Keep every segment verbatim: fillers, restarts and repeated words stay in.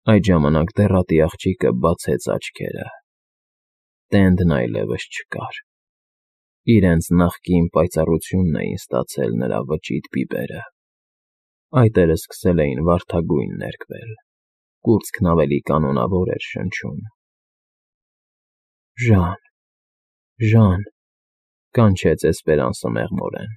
Այդ ժամանակ դեռատի աղջիկը բացեց աչքերը. Տենդն այլևս չկար. իրենց նախկին պայծառությունն էին ստացել նրա վճիտ բիբերը, այտերը սկսել էին վարդագույն ներկվել, կուրծքն ավելի կանոնավոր էր շնչում։ Ժան, Ժան, կանչեց Էսպերանսը մեղմորեն,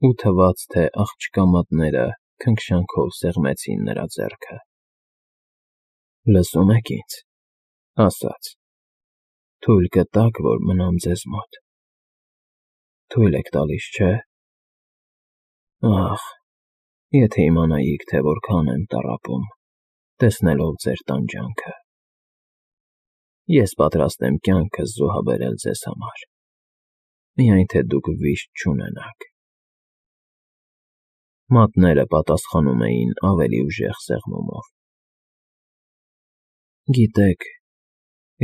ու թվաց, թե աղջկա մատները քնքշանքով սեղմեցին նրա ձեռքը։ Լսում եք ինձ, ասաց, թույլ կտաք, որ մնամ ձեզ մոտ։ Թույլ եք տալիս, չէ՞։ Ախ, եթե իմանայիք, թե որքան եմ տառապում, տեսնելով ձեր տանջանքը։ Ես պատրաստ եմ կյանքս զոհաբերել ձեզ համար, միայն թե դուք վիշտ չունենաք։ Մատները պատասխանում էին ավելի ուժեղ սեղմումով։ Գիտեք,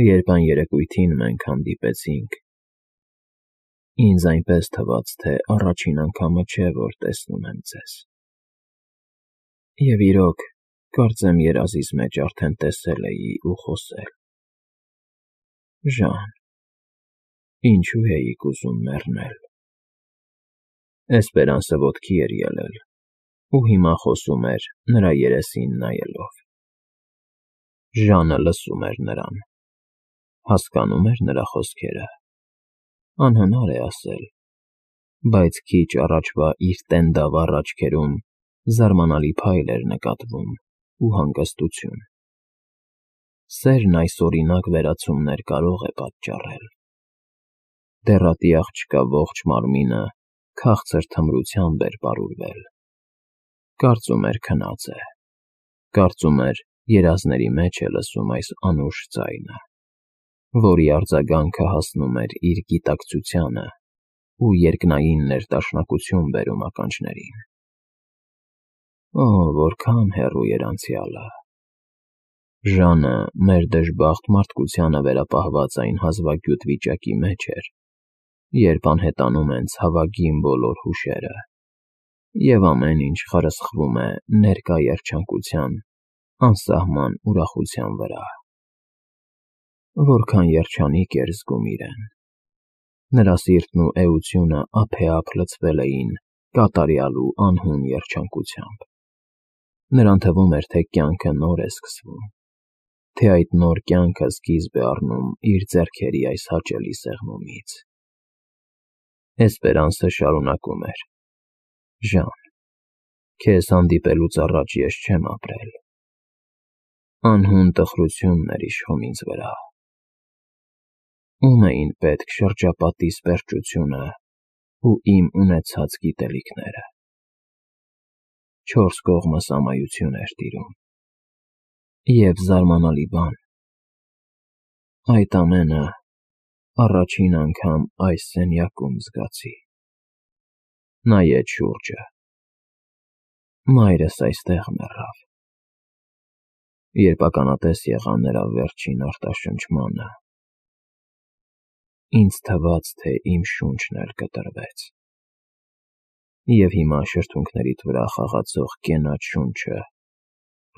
երբ այն երեկույթին մենք հանդիպեցինք, ինձ այնպես թվաց, թե առաջին անգամը չէ, որ տեսնում եմ ձեզ։ Եվ իրոք, կարծեմ երազիս մեջ արդեն տեսել էի ու խոսել։ Ժան, ինչու էիք ուզում մեռնել։ Էսպերանսը ոտքի էր ելել ու հիմա խոսում էր նրա երեսին նայելով։ Ժանը լսում էր նրան, հասկանում էր նրա խոսքերը, անհնար է ասել, բայց քիչ առաջվա իր տենդավառ աչքերում զարմանալի փայլ էր նկատվում ու հանգստություն։ Սերն այսօրինակ վերացումներ կարող է պատճառել։ Դեռատի աղջկա ողջ մարմինը քաղցր թմրությամբ էր պարուրվել։ Կարծում էր քնած է, կարծում էր երազների մեջ է լսում այս անուշ ձայնը, որի արձագանքը հասնում էր իր գիտակցությանը ու երկնային ներդաշնակություն բերում ականջներին։ Օ, որքան հեռու էր անցյալը։ Ժանը մեր դժբախտ մարդկությանը վերապահված այն հազվագյուտ վիճակի մեջ էր, երբ անհետանում են ցավագին բոլոր հուշերը, և ամեն ինչ խարսխվում է ներկա երջանկության անսահման ուրախության վրա։ Որքան երջանիկ էր զգում իրեն։ Նրա սիրտն ու էությունը ափեափ լցվել էին կատարյալ ու անհուն երջանկությամբ։ Նրան թվում էր, թե կյանքը նոր է սկսվում, թե այդ նոր կյանքը սկիզբ է առնում իր ձեռքերի այս հաճելի սեղմումից։ Էսպերանսը շարունակում էր. Ժան, քեզ հանդիպելուց առաջ ես չեմ ապրել։ Անհուն տխրությունն էր իշխում ինձ վրա։ Ում էին պետք շրջապատիս պերճությունը ու իմ ունեցած գիտելիքները։ Չորս կողմս ամայություն էր տիրում։ Եվ զարմանալի բան, այդ ամենը առաջին անգամ այս սենյակում զգացի։ Նայեց շուրջը։ Մայրս այստեղ մեռավ։ Երբ ականատես եղա նրա վերջին արտաշնչմանը, ինձ թվաց, թե իմ շունչն էլ կտրվեց։ Եվ հիմա շրթունքներիդ վրա խաղացող կենաց շունչը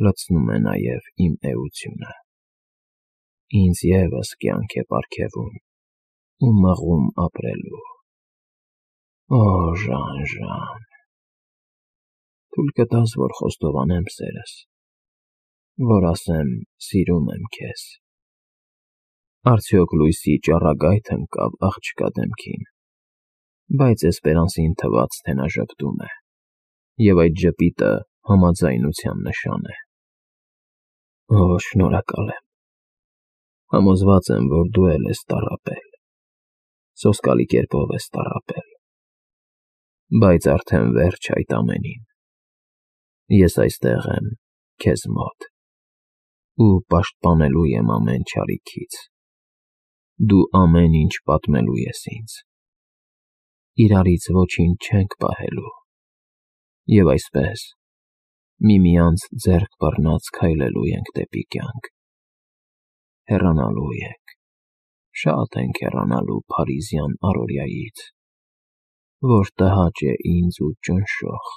լցնում է նաև իմ էությունը։ Ինձ ևս կյանք է պարգևում ու մղում ապրելու։ Օ, Ժան, Ժան, թույլ կտաս, որ խոստովանեմ սերս, որ ասեմ սիրում եմ քեզ։ Արդյոք լույսի ճառագայթ ընկավ աղջկա դեմքին, բայց Էսպերանսին թվաց, թե նա ժպտում է, և այդ ժպիտը համաձայնության նշան է։ Օ, շնորհակալ եմ։ Համոզված եմ, որ դու էլ ես տառապել, սոսկալի կերպով ես տառապել, բայց արդեն վերջ այդ ամենին։ Ես այստեղ եմ քեզ մոտ ու պաշտպանելու եմ ամեն չարիքից։ Դու ամեն ինչ պատմելու ես ինձ։ Իրարից ոչինչ չենք պահելու։ Եվ այսպես, միմյանց ձեռք բռնած քայլելու ենք դեպի կյանք։ Հեռանալու ենք, շատ ենք հեռանալու փարիզյան առօրյայից, որ տհաճ է ինձ ու ճնշող։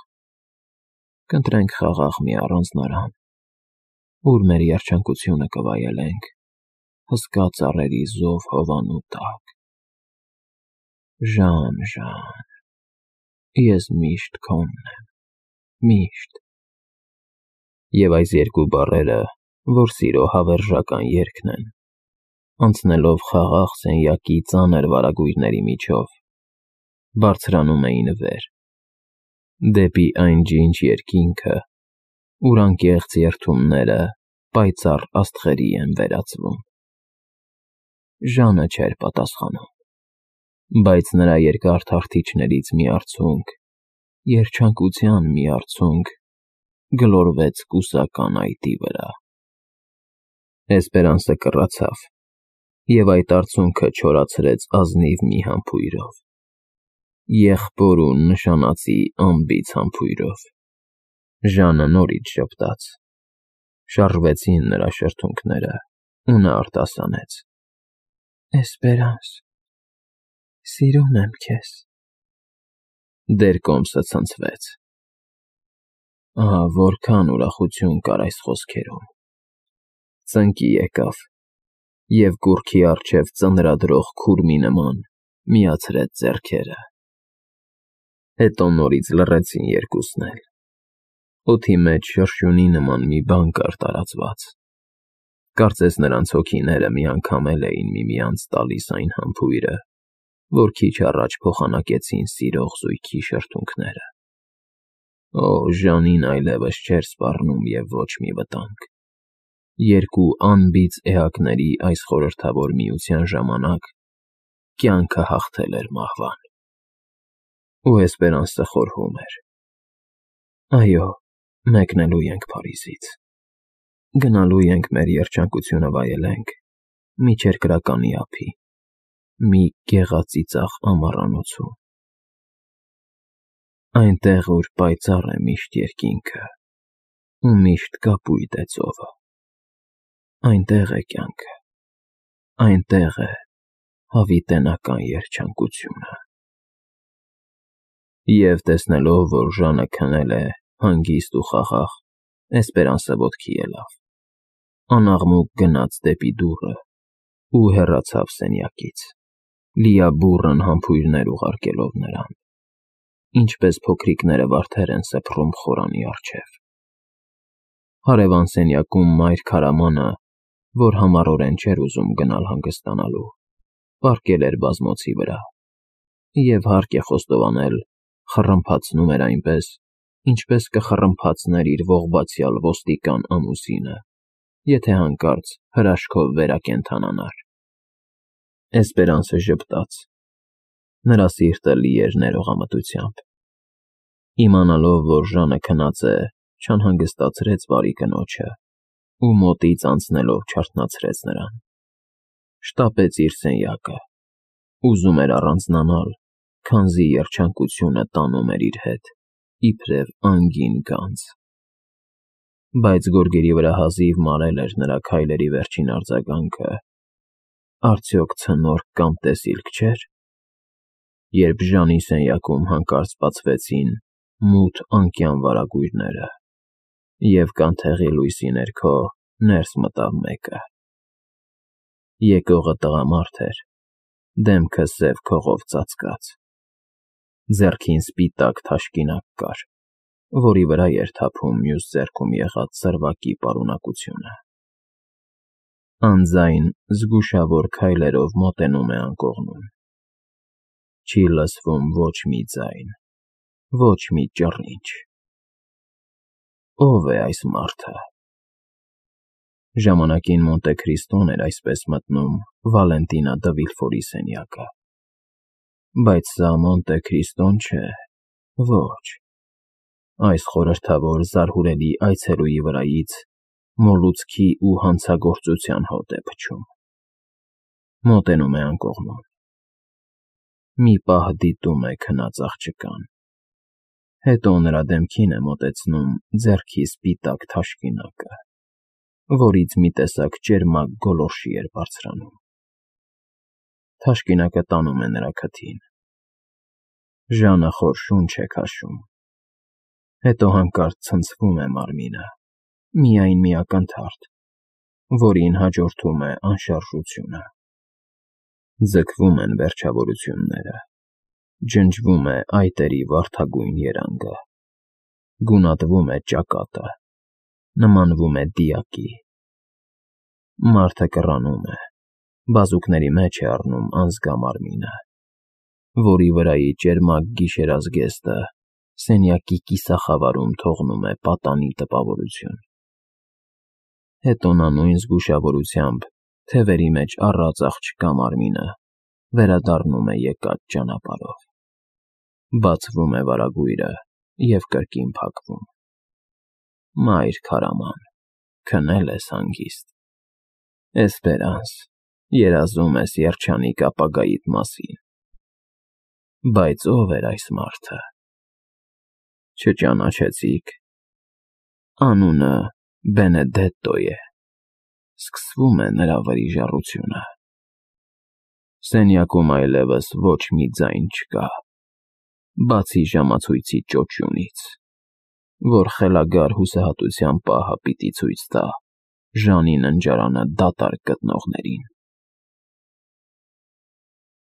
Կընտրենք խաղաղ մի առանձնարան, ուր մեր երջանկությունը կվայելենք, հսկա ծառերի զով հովանու տակ։ Ժան, Ժան, ես միշտ քոնն եմ, միշտ։ Եվ այս երկու բառերը, որ սիրո հավերժական երգն են, անցնելով խաղաղ սենյակի ծանր վարագույրների միջով, բարձրանում էին վեր, դեպի այն ջինջ երկինքը, ուր անկեղծ երդումները պայծառ աստղերի են վերածվում։ Ժանը չէր պատասխանում, բայց նրա երկար թախտիչներից մի արցունք, երջանկության մի արցունք, գլորվեց կուսական այտի վրա։ Էսպերանսը կռացավ, և այդ արցունքը չորացրեց ազնիվ մի համբույրով, եղբոր ու նշանածի անբիծ համբույրով։ Ժանը նորից ժպտաց, շարժվեցին նրա շրթունքները, ու նա արտասանեց. «Էսպերանս, սիրում եմ քեզ»։ Դեռ կոմսը ցնցվեց։ Ահա որքան ուրախություն կար այս խոսքերում։ Ծնկի եկավ և կուռքի առջև ծնրադրող քուրմի նման միացրեց ձեռքերը։ Հետո նորից լռեցին երկուսն էլ։ Օդի մեջ շրշյունի նման մի բան կար տարածված։ Կարծես նրանց հոգիները միանգամել էին միմյանց տալիս այն համբույրը, որ քիչ առաջ փոխանակեցին սիրող զույգի շրթունքները։ Օ, Ժանին այլևս չէր սպառնում և ոչ մի վտանգ։ Երկու անբիծ էակների այս խորհրդավոր միության ժամանակ կյանքը հաղթել էր մահվան։ Ու Էսպերանսը խորհում էր. «Այո, մեկնելու ենք Փարիզից, գնալու ենք մեր երջանկությունը վայելենք մի չերկրականի ափի, մի գեղածիծաղ ամառանոցում, այնտեղ, ուր պայծառ է միշտ երկինքը ու միշտ կապույտ է ծովը։ Այնտեղ է կյանքը, այնտեղ է հավիտենական երջանկությունը»։ Եվ տեսնելով, որ Ժանը քնել է հանգիստ ու խաղաղ, Էսպերանսը ոտքի ելավ, անաղմուկ գնաց դեպի դուռը ու հեռացավ սենյակից, լիաբուռն համբույրներ ուղարկելով նրան, ինչպես փոքրիկները վարդեր են սփռում խորանի առջև։ Հարևան սենյակում մայր քարամանը, որ համառորեն չէր ուզում գնալ հանգստանալու, պառկել էր բազմոցի վրա, և հարկ է խոստովանել, խռմփացնում էր այնպես, ինչպես կխռմփացներ իր ողբացյալ ոստիկան ամուսինը, եթե հանկարծ հրաշքով վերակենդանանար։ Էսպերանսը ժպտաց։ Նրա սիրտը լի էր ներողամտությամբ։ Իմանալով, որ Ժանը քնած է, չանհանգստացրեց բարի կնոջը ու մոտից անցնելով չարթնացրեց նրան։ Շտապեց իր սենյակը, ուզում էր առանձնանալ, քանզի երջանկությունը տանում էր իր հետ, իբրև անգին գանձ։ Բայց գորգերի վրա հազիվ մարել էր նրա քայլերի վերջին արձագանքը. արդյոք ցնորք կամ տեսիլք չէր, երբ Ժանի սենյակում հանկարծ բացվեցին մութ անկյան վարագույրները, և կանթեղի լույսի ներքո ներս մտավ մեկը։ Եկողը տղամարդ էր, դեմքը սև քողով ծածկած, ձեռքին սպիտակ թաշկինակ կար, որի վրա էր թափում մյուս ձեռքում եղած սրվակի պարունակությունը։ Անձայն զգուշավոր քայլերով մոտենում է անկողնում։ Չի լսվում ոչ մի ձայն, ոչ մի ճռինչ։ Ո՞վ է այս մարդը։ Ժամանակին Մոնտե Քրիստոն էր այսպես մտնում Վալենտինա դը Վիլֆորի սենյակը։ Բայց սա Մոնտե Քրիստոն չէ, ոչ։ Այս խորհրդավոր զարհուրելի այցելուի վրայից մոլուցքի ու հանցագործության հոտ է փչում։ Մոտենում է անկողնում։ Մի պահ դիտում է քնած աղջկան, հետո նրա դեմքին է մոտեցնում ձեռքի սպիտակ թաշկինակը, որից մի տեսակ ճերմակ գոլորշի էր բարձրանում։ Թաշկինակը տանում է նրա քթին։ Ժանը խոր շունչ է քաշում, հետո հանկարծ ցնցվում է մարմինը Միայն մի ակնթարթ, որին հաջորդում է անշարժությունը։ Ձգվում են վերջավորությունները, ջնջվում է այտերի վարդագույն երանգը, գունատվում է ճակատը, նմանվում է դիակի։ Մարդը կռանում է, բազուկների մեջ է առնում անզգա մարմինը, որի վրայի ճերմակ գիշերազգեստը սենյակի կիսախավարում թողնում է պատանի տպավորություն։ Հետո նա նույն զգուշավորությամբ թևերի մեջ առած աղջկա մարմինը վերադառնում է եկած ճանապարհով։ Բացվում է վարագույրը և կրկին փակվում։ Մայր քարաման, քնել ես հանգիստ։ Էսպերանս, երազում ես երջանիկ ապագայիդ մասին։ Բայց ո՞վ էր այս մարդը։ Չճանաչեցի՞ք։ Անունը Բենեդետտո է, սկսվում է նրա վրիժառությունը։ Սենյակում այլևս ոչ մի ձայն չկա, բացի ժամացույցի ճոճյունից, որ խելագար հուսահատության պահը պիտի ցույց տա Ժանի ննջարանը դատարկ գտնողներին։